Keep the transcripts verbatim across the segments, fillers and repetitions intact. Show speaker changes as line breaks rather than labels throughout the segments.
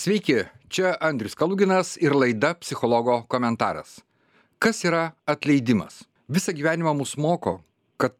Sveiki, čia Andrius Kaluginas ir laida Psichologo komentaras. Kas yra atleidimas? Visą gyvenimą mus moko, kad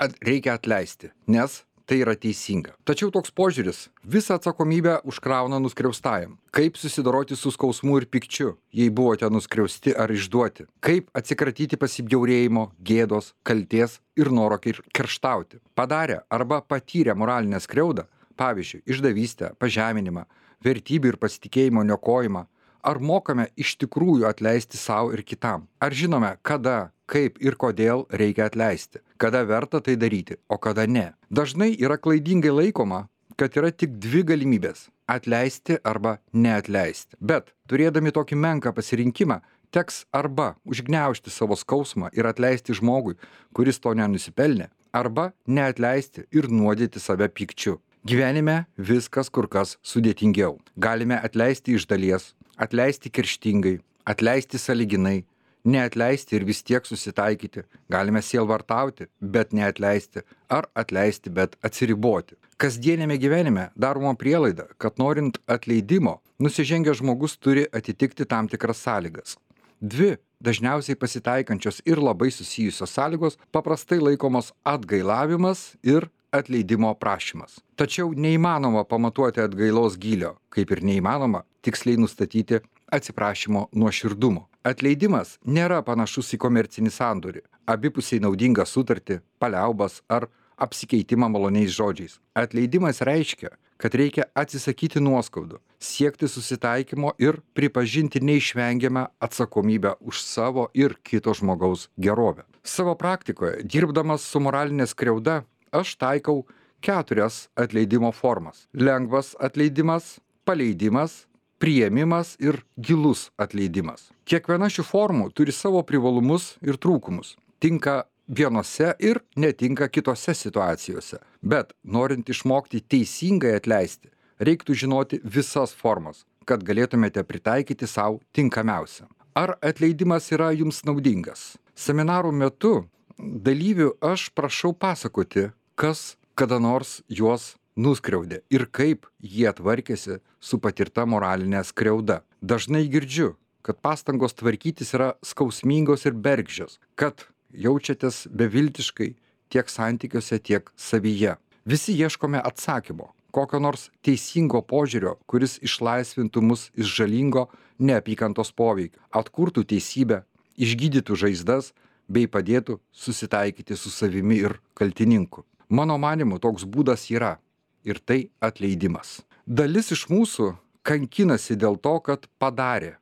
at- reikia atleisti, nes tai yra teisinga. Tačiau toks požiūris visą atsakomybę užkrauna nuskriaustajam. Kaip susidoroti su skausmu ir pykčiu, jei buvote nuskriausti ar išduoti? Kaip atsikratyti pasibjaurėjimo, gėdos, kalties ir noro kir- kerštauti? Padarę arba patyrę moralinę skriaudą, pavyzdžiui, išdavystę, pažeminimą, vertybių ir pasitikėjimo niokojimą, ar mokame iš tikrųjų atleisti savo ir kitam? Ar žinome, kada, kaip ir kodėl reikia atleisti? Kada verta tai daryti, o kada ne? Dažnai yra klaidingai laikoma, kad yra tik dvi galimybės - atleisti arba neatleisti. Bet turėdami tokį menką pasirinkimą, teks arba užgniaužti savo skausmą ir atleisti žmogui, kuris to nenusipelnė, arba neatleisti ir nuodyti save pykčiu. Gyvenime viskas kur kas sudėtingiau. Galime atleisti iš dalies, atleisti kerštingai, atleisti sąlyginai, neatleisti ir vis tiek susitaikyti. Galime sielvartauti, bet neatleisti, ar atleisti, bet atsiriboti. Kasdienėme gyvenime daroma prielaida, kad norint atleidimo, nusižengęs žmogus turi atitikti tam tikras sąlygas. Dvi dažniausiai pasitaikančios ir labai susijusios sąlygos paprastai laikomos atgailavimas ir atleidimo prašymas. Tačiau neįmanoma pamatuoti atgailos gylio, kaip ir neįmanoma tiksliai nustatyti atsiprašymo nuoširdumo. Atleidimas nėra panašus į komercinį sandorį, abipusiai naudingą sutartį, paliaubas ar apsikeitimą maloniais žodžiais. Atleidimas reiškia, kad reikia atsisakyti nuoskaudų, siekti susitaikymo ir pripažinti neišvengiamą atsakomybę už savo ir kito žmogaus gerovę. Savo praktikoje, dirbdamas su moralinė skriauda, aš taikau keturias atleidimo formas. Lengvas atleidimas, paleidimas, priėmimas ir gilus atleidimas. Kiekviena šių formų turi savo privalumus ir trūkumus. Tinka vienose ir netinka kitose situacijose. Bet norint išmokti teisingai atleisti, reiktų žinoti visas formas, kad galėtumėte pritaikyti savo tinkamiausią. Ar atleidimas yra jums naudingas? Seminarų metu dalyvių aš prašau pasakoti, kas kada nors juos nuskriaudė ir kaip jie tvarkėsi su patirta moralinė skriauda. Dažnai girdžiu, kad pastangos tvarkytis yra skausmingos ir bergždžios, kad jaučiatės beviltiškai tiek santykiuose, tiek savyje. Visi ieškome atsakymo, kokio nors teisingo požiūrio, kuris išlaisvintų mus iš žalingo neapykantos poveikio, atkurtų teisybę, išgydytų žaizdas bei padėtų susitaikyti su savimi ir kaltininku. Mano manimu, toks būdas yra ir tai atleidimas. Dalis iš mūsų kankinasi dėl to, kad padarė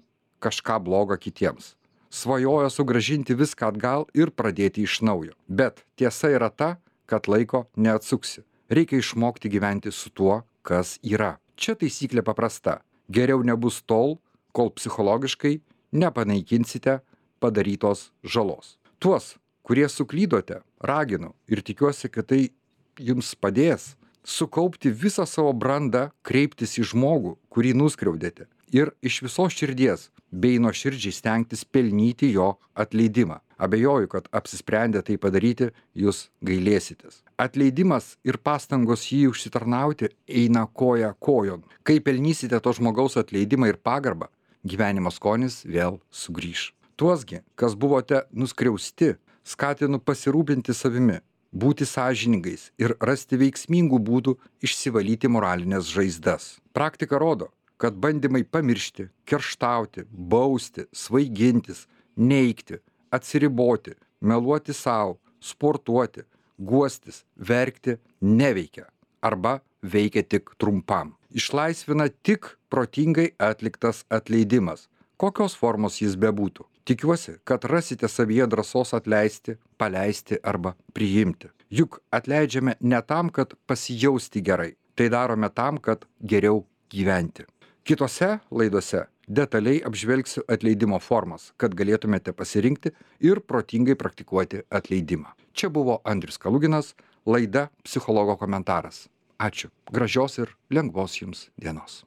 kažką blogo kitiems. Svajojo sugrąžinti viską atgal ir pradėti iš naujo. Bet tiesa yra ta, kad laiko neatsuksi. Reikia išmokti gyventi su tuo, kas yra. Čia taisyklė paprasta. Geriau nebus tol, kol psichologiškai nepanaikinsite padarytos žalos. Tuos, kurie suklydote, raginu ir tikiuosi, kad tai jums padės sukaupti visą savo brandą, kreiptis į žmogų, kurį nuskriaudėte ir iš visos širdies bei nuoširdžiai stengtis pelnyti jo atleidimą. Abejoju, kad apsisprendę tai padaryti, jūs gailėsitės. Atleidimas ir pastangos jį užsitarnauti eina koja kojon. Kai pelnysite to žmogaus atleidimą ir pagarbą, gyvenimo skonis vėl sugrįš. Tuosgi, kas buvote nuskriausti, skatinu pasirūpinti savimi, būti sąžiningais ir rasti veiksmingų būdų išsivalyti moralinės žaizdas. Praktika rodo, kad bandymai pamiršti, kerštauti, bausti, svaigintis, neigti, atsiriboti, meluoti savo, sportuoti, guostis, verkti neveikia arba veikia tik trumpam. Išlaisvina tik protingai atliktas atleidimas, kokios formos jis bebūtų. Tikiuosi, kad rasite savyje drąsos atleisti, paleisti arba priimti. Juk atleidžiame ne tam, kad pasijausti gerai, tai darome tam, kad geriau gyventi. Kitose laidose detaliai apžvelgsiu atleidimo formas, kad galėtumėte pasirinkti ir protingai praktikuoti atleidimą. Čia buvo Andrius Kaluginas, laida Psichologo komentaras. Ačiū. Gražios ir lengvos jums dienos.